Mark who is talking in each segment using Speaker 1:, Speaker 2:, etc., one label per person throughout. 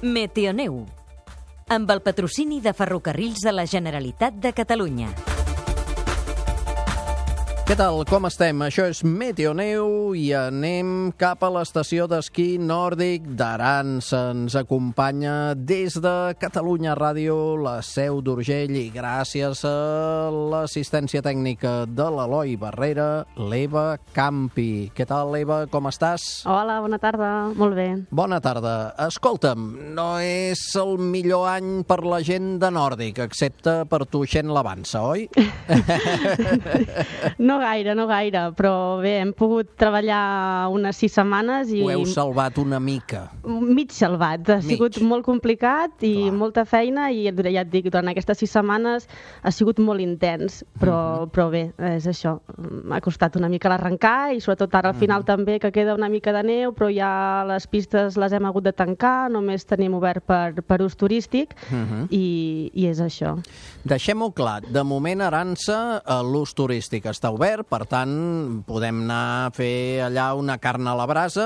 Speaker 1: Meteoneu, amb el patrocini de Ferrocarrils de la Generalitat de Catalunya.
Speaker 2: Què tal? Com estem? Això és Meteoneu i anem cap a l'estació d'esquí nòrdic d'Aransa. Ens acompanya des de Catalunya Ràdio, la Seu d'Urgell, i gràcies a l'assistència tècnica de l'Eloi Barrera, l'Eva Campi. Què tal, Eva? Com estàs?
Speaker 3: Hola, bona tarda. Molt bé.
Speaker 2: Bona tarda. Escolta'm, no és el millor any per la gent de nòrdic, excepte per tu, Xen l'Avança, oi?
Speaker 3: No gaire, però bé, hem pogut treballar unes 6 setmanes i...
Speaker 2: Ho heu salvat una mica.
Speaker 3: Mig salvat. Ha sigut molt complicat i molta feina i ja et dic, durant aquestes 6 setmanes ha sigut molt intens, però bé, és això. M'ha costat una mica l'arrencar i sobretot ara al final també que queda una mica de neu, però ja les pistes les hem hagut de tancar, només tenim obert per ús turístic i és això.
Speaker 2: Deixem-ho clar, de moment Aransa l'ús turístic està obert, per tant podem anar a fer allà una carn a la brasa.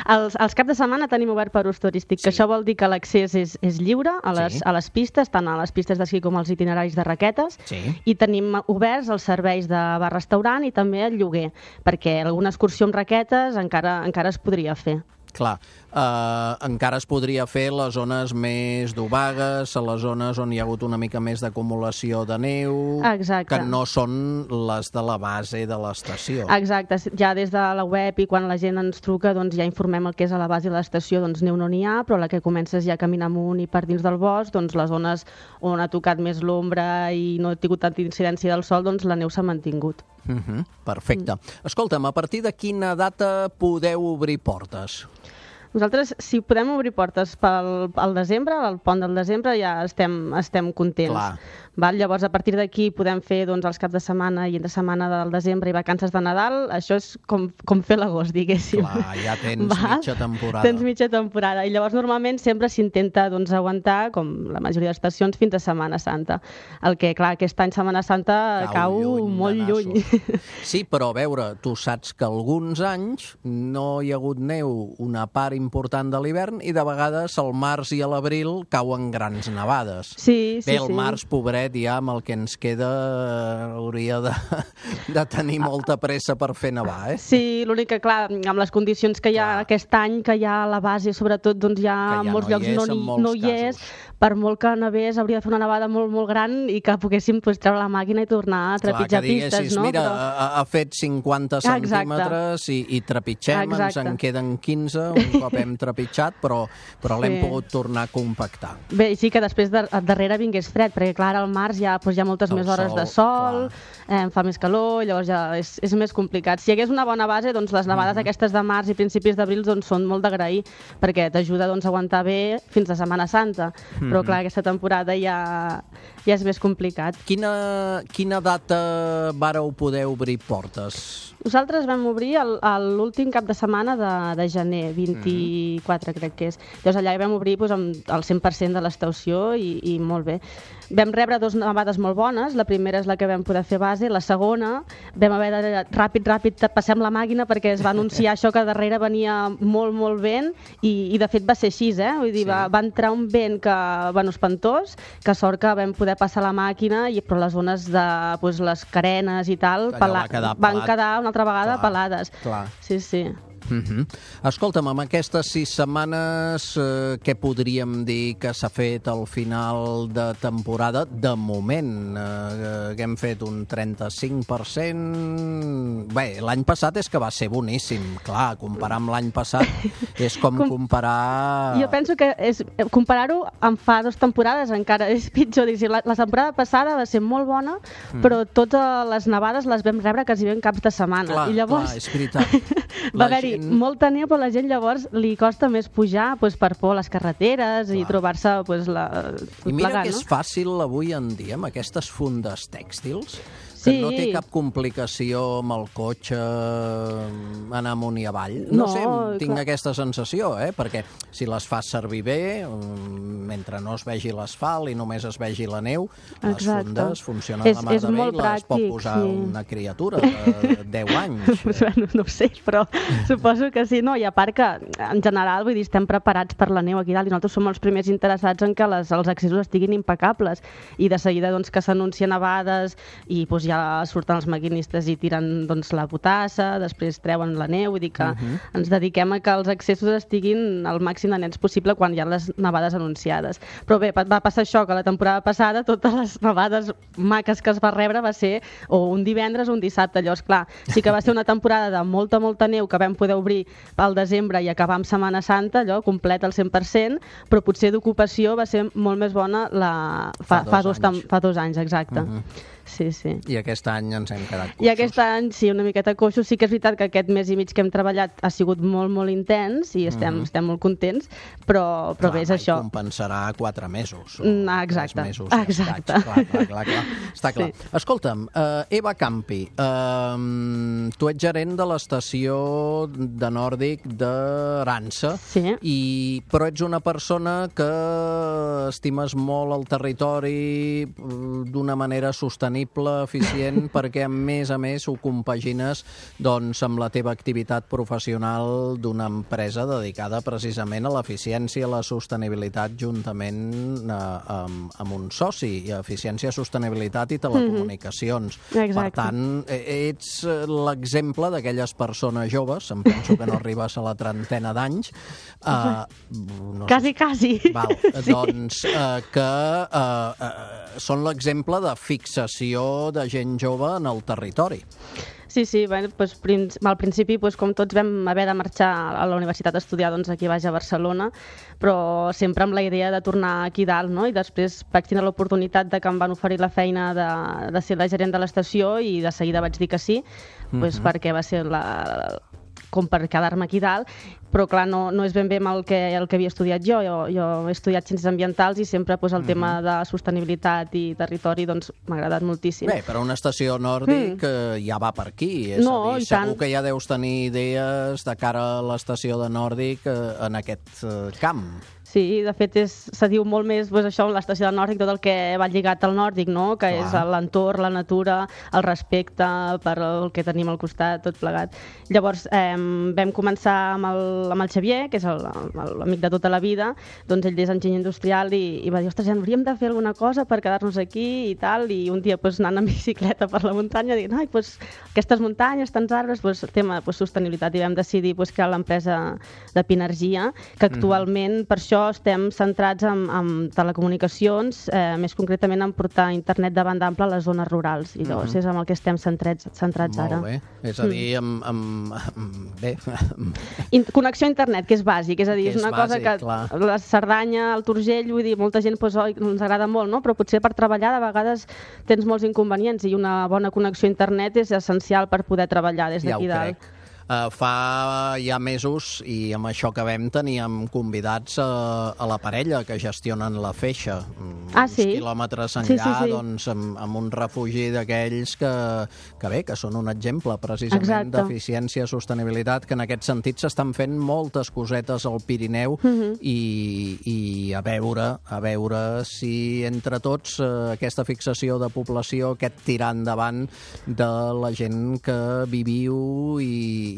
Speaker 3: Els caps de setmana tenim obert per ús turístic, que això vol dir que l'accés és lliure a les pistes, tant a les pistes d'esquí com als itineraris de raquetes, i tenim oberts els serveis de bar-restaurant i també el lloguer, perquè alguna excursió amb raquetes encara es podria fer.
Speaker 2: Clar, encara es podria fer les zones més d'obagues, a les zones on hi ha hagut una mica més d'acumulació de neu, que no són les de la base de l'estació.
Speaker 3: Exacte, ja des de la web i quan la gent ens truca doncs ja informem el que és a la base de l'estació, doncs neu no n'hi ha, però la que comences ja a caminar amunt i per dins del bosc, doncs les zones on ha tocat més l'ombra i no ha tingut tanta incidència del sol, doncs la neu s'ha mantingut.
Speaker 2: Perfecte. Escolta'm, a partir de quina data podeu obrir portes?
Speaker 3: Nosaltres, si podem obrir portes pel desembre, al pont del desembre, ja estem contents.
Speaker 2: Clar.
Speaker 3: Llavors, a partir d'aquí podem fer els caps de setmana i entre setmana del desembre i vacances de Nadal. Això és com fer l'agost, diguéssim.
Speaker 2: Clar, ja tens mitja temporada.
Speaker 3: Tens mitja temporada. I llavors, normalment, sempre s'intenta aguantar, com la majoria d'estacions, fins a Setmana Santa. El que, clar, aquest any Setmana Santa cau molt lluny.
Speaker 2: Sí, però a veure, tu saps que alguns anys no hi ha hagut neu una part important de l'hivern i de vegades al març i a l'abril cauen grans nevades.
Speaker 3: Sí.
Speaker 2: Bé, el març, pobret, ja amb el que ens queda hauria de tenir molta pressa per fer nevar, eh?
Speaker 3: Sí, l'únic que, clar, amb les condicions que hi ha aquest any, que hi ha a la base, sobretot, doncs ja en molts llocs no hi és, per molt que nevés hauria de fer una nevada molt, molt gran i que poguéssim treure la màquina i tornar a trepitjar pistes, no?
Speaker 2: Mira, ha fet 50 centímetres i trepitgem, ens en queden 15, un cop hem trepitjat, però l'hem pogut tornar a compactar.
Speaker 3: Bé, sí que després darrere vingués fred, perquè clar, al març hi ha moltes més hores de sol, fa més calor, llavors ja és més complicat. Si hi hagués una bona base, doncs les nevades aquestes de març i principis d'abril són molt d'agrair, perquè t'ajuda a aguantar bé fins a Setmana Santa. Però clar, aquesta temporada ja és més complicat.
Speaker 2: Quina data vareu poder obrir portes?
Speaker 3: Nosaltres vam obrir l'últim cap de setmana de gener, 24 crec que és. Llavors allà vam obrir amb el 100% de l'estació i molt bé. Vam rebre 2 nevades molt bones, la primera és la que vam poder fer base, la segona vam haver de ràpid passem la màquina perquè es va anunciar això que darrere venia molt vent i de fet va ser així, Vull dir, va entrar un vent espantós, que sort que vam poder passar la màquina, però les zones de les carenes i tal van quedar una altra vegada pelades. Sí.
Speaker 2: Escolta'm, amb aquestes 6 setmanes, què podríem dir que s'ha fet al final de temporada? De moment, que hem fet un 35%... Bé, l'any passat és que va ser boníssim. Clar, comparar amb l'any passat és com comparar...
Speaker 3: Jo penso que comparar-ho amb fa 2 temporades encara és pitjor. La temporada passada va ser molt bona, però totes les nevades les vam rebre quasi en caps de setmana.
Speaker 2: Clar, és veritat.
Speaker 3: Va haver-hi molta neu, però a la gent llavors li costa més pujar per por a les carreteres i trobar-se
Speaker 2: I mira que és fàcil avui en dia amb aquestes fundes tèxtils. Que no té cap complicació amb el cotxe anar amunt i avall. No sé, tinc aquesta sensació, perquè si les fas servir bé, mentre no es vegi l'asfalt i només es vegi la neu, les fundes funcionen la mar de bé i les pot posar una criatura de 10 anys.
Speaker 3: Bueno, no ho sé, però suposo que sí. No, i a part que, en general, vull dir, estem preparats per la neu aquí dalt i nosaltres som els primers interessats en que els accessos estiguin impecables i de seguida doncs, que s'anuncien nevades i doncs, ja surten els maquinistes i tiren doncs, la potassa, després treuen la neu, vull dir que ens dediquem a que els accessos estiguin al màxim de nets possible quan hi ha les nevades anunciades. Però bé, va passar això, que la temporada passada totes les nevades maques que es va rebre va ser o un divendres o un dissabte. Llavors, clar, sí que va ser una temporada de molta neu que vam poder obrir pel desembre i acabar amb Setmana Santa, allò complet al 100%, però potser d'ocupació va ser molt més bona fa 2 anys, exacte. Sí, sí.
Speaker 2: I aquest any ens hem quedat coixos.
Speaker 3: I aquest any, sí, una miqueta coixos. Sí que és veritat que aquest mes i mig que hem treballat ha sigut molt, molt intens i estem molt contents, però bé, és això.
Speaker 2: Compensarà 4 mesos.
Speaker 3: Exacte.
Speaker 2: 3 mesos.
Speaker 3: Exacte.
Speaker 2: Clar. Està clar. Sí. Escolta'm, Eva Campi, tu ets gerent de l'estació de Nòrdic d'Aransa, però ets una persona que estimes molt el territori d'una manera sostenible, eficient, perquè a més ho compagines doncs, amb la teva activitat professional d'una empresa dedicada precisament a l'eficiència i la sostenibilitat juntament amb un soci, eficiència, sostenibilitat i telecomunicacions.
Speaker 3: Exacte.
Speaker 2: Per tant, ets l'exemple d'aquelles persones joves, em penso que no arribes a la trentena d'anys.
Speaker 3: Quasi.
Speaker 2: Val, doncs que són l'exemple de fixació de gent jove en el territori.
Speaker 3: Sí, bueno, doncs, al principi, com tots, vam haver de marxar a la universitat a estudiar aquí baix a Barcelona, però sempre amb la idea de tornar aquí dalt, no? I després vaig tenir l'oportunitat de que em van oferir la feina de ser la gerent de l'estació i de seguida vaig dir que sí, perquè va ser com per quedar-me aquí dalt, però clar, no és ben bé el que havia estudiat jo. Jo he estudiat ciències ambientals i sempre el tema de sostenibilitat i territori m'ha agradat moltíssim.
Speaker 2: Bé, però una estació nòrdic ja va per aquí, és a dir, segur que ja deus tenir idees de cara a l'estació de Nòrdic en aquest camp.
Speaker 3: Sí, de fet se diu molt més això, l'estació de Nòrdic, tot el que va lligat al nòrdic, no? Que és l'entorn, la natura, el respecte per el que tenim al costat, tot plegat. Llavors vam començar amb el Xavier, que és l'amic de tota la vida, doncs ell és enginyer industrial i va dir, ostres, ja hauríem de fer alguna cosa per quedar-nos aquí i tal, i un dia anant en bicicleta per la muntanya, dir, aquestes muntanyes, tants arbres, tema sostenibilitat, i vam decidir crear l'empresa de Pinergia, que actualment per això estem centrats en telecomunicacions, més concretament en portar internet de banda ampla a les zones rurals, i llavors és amb el que estem centrats ara.
Speaker 2: Molt bé, és a dir, bé...
Speaker 3: Connexió a internet, que és bàsic, és a dir, és una cosa que la Cerdanya, el Turgell, vull dir, molta gent ens agrada molt, no? Però potser per treballar de vegades tens molts inconvenients i una bona connexió a internet és essencial per poder treballar des d'aquí dalt.
Speaker 2: Fa ja mesos, i amb això que teníem convidats a la parella que gestionen la Feixa, uns quilòmetres enllà, doncs, amb un refugi d'aquells que són un exemple precisament d'eficiència i sostenibilitat, que en aquest sentit s'estan fent moltes cosetes al Pirineu i a veure si entre tots aquesta fixació de població, aquest tirar endavant de la gent que viviu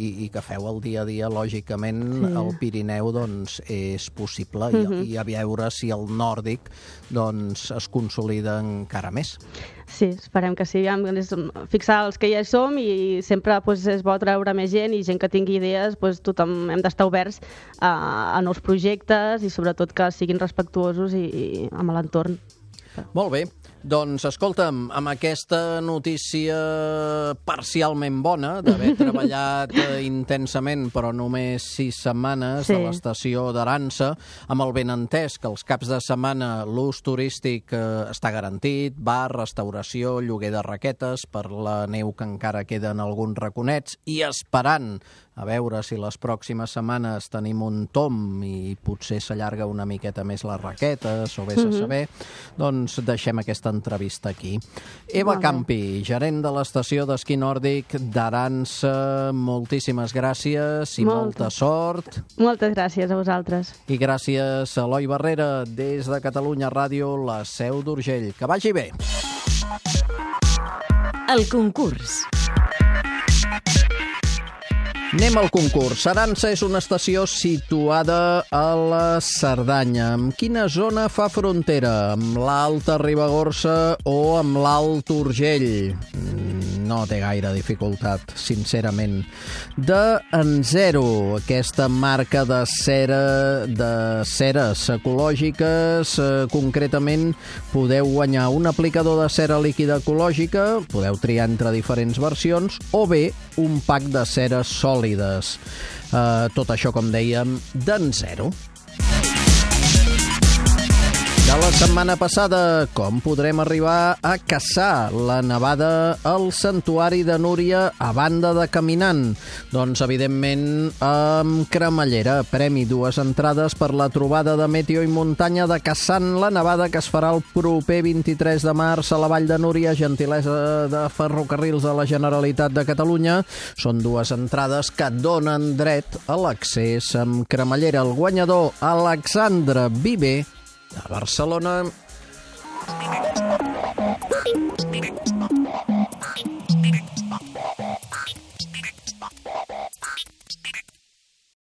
Speaker 2: i que feu el dia a dia, lògicament, al Pirineu, doncs, és possible, i a veure si el nòrdic, doncs, es consolida encara més.
Speaker 3: Sí, esperem que sí. Fixar els que ja hi som i sempre és bo treure més gent i gent que tingui idees, tothom hem d'estar oberts a nous projectes i sobretot que siguin respectuosos i amb l'entorn.
Speaker 2: Molt bé. Doncs, escolta'm, amb aquesta notícia parcialment bona d'haver treballat intensament, però només 6 setmanes de l'estació d'Aransa, amb el benentès que els caps de setmana l'ús turístic està garantit, bar, restauració, lloguer de raquetes per la neu que encara queda en alguns raconets, i esperant a veure si les pròximes setmanes tenim un tomb i potser s'allarga una miqueta més les raquetes, o vés a saber, doncs deixem aquesta entrevista aquí. Eva Campi, gerent de l'estació d'esquí nòrdic d'Aransa, moltíssimes gràcies i molta sort.
Speaker 3: Moltes gràcies a vosaltres.
Speaker 2: I gràcies a Eloi Barrera, des de Catalunya Ràdio, la Seu d'Urgell. Que vagi bé!
Speaker 1: El concurs.
Speaker 2: Anem al concurs. Aransa és una estació situada a la Cerdanya. Amb quina zona fa frontera? Amb l'Alta Ribagorça o amb l'Alt Urgell? No té gaire dificultat, sincerament. En zero, aquesta marca de ceres ecològiques, concretament podeu guanyar un aplicador de cera líquida ecològica, podeu triar entre diferents versions, o bé un pack de ceres sòlides. Tot això, com dèiem, d'en zero. De la setmana passada, com podrem arribar a caçar la nevada al Santuari de Núria a banda de caminant? Doncs, evidentment, amb cremallera. Premi 2 entrades per la trobada de Meteo i Muntanya de Caçant la Nevada, que es farà el proper 23 de març a la Vall de Núria, gentilesa de Ferrocarrils de la Generalitat de Catalunya. Són 2 entrades que donen dret a l'accés amb cremallera. El guanyador, Alexandre Viver, de Barcelona.